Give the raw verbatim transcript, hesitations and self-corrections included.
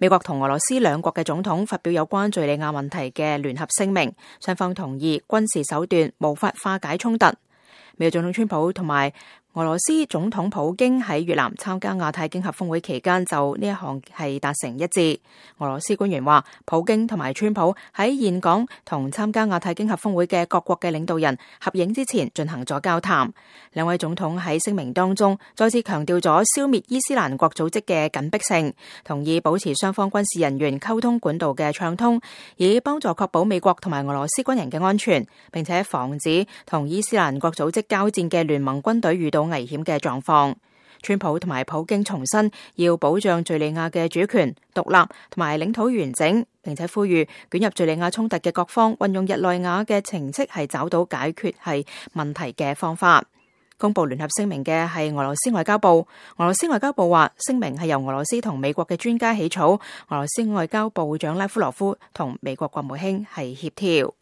美國同俄羅斯兩國嘅總統發表有關敘利亞問題嘅聯合聲明，雙方同意軍事手段無法化解衝突。美國總統川普同埋俄羅斯總統普京喺越南參加亞太經合峰會期間就呢一項係達成一致。俄羅斯官員話，普京同埋川普喺峴港同參加亞太經合峰會嘅各國嘅領導人合影之前進行咗交談。兩位總統喺聲明當中再次強調咗消滅伊斯蘭國組織嘅緊迫性，同意保持雙方軍事人員溝通管道嘅暢通，以幫助確保美國同埋俄羅斯軍人嘅安全，並且防止同伊斯蘭國組織交戰嘅聯盟軍隊遇到危險嘅狀況。川普同埋普京重申要保障敘利亞嘅主權、獨立同埋領土完整，並且呼籲捲入敘利亞衝突嘅各方運用日內瓦嘅程式係找到解決係問題嘅方法。公布聯合聲明嘅係俄羅斯外交部。俄羅斯外交部話，聲明係由俄羅斯同美國嘅專家起草，俄羅斯外交部長拉夫羅夫同美國國務卿係協調。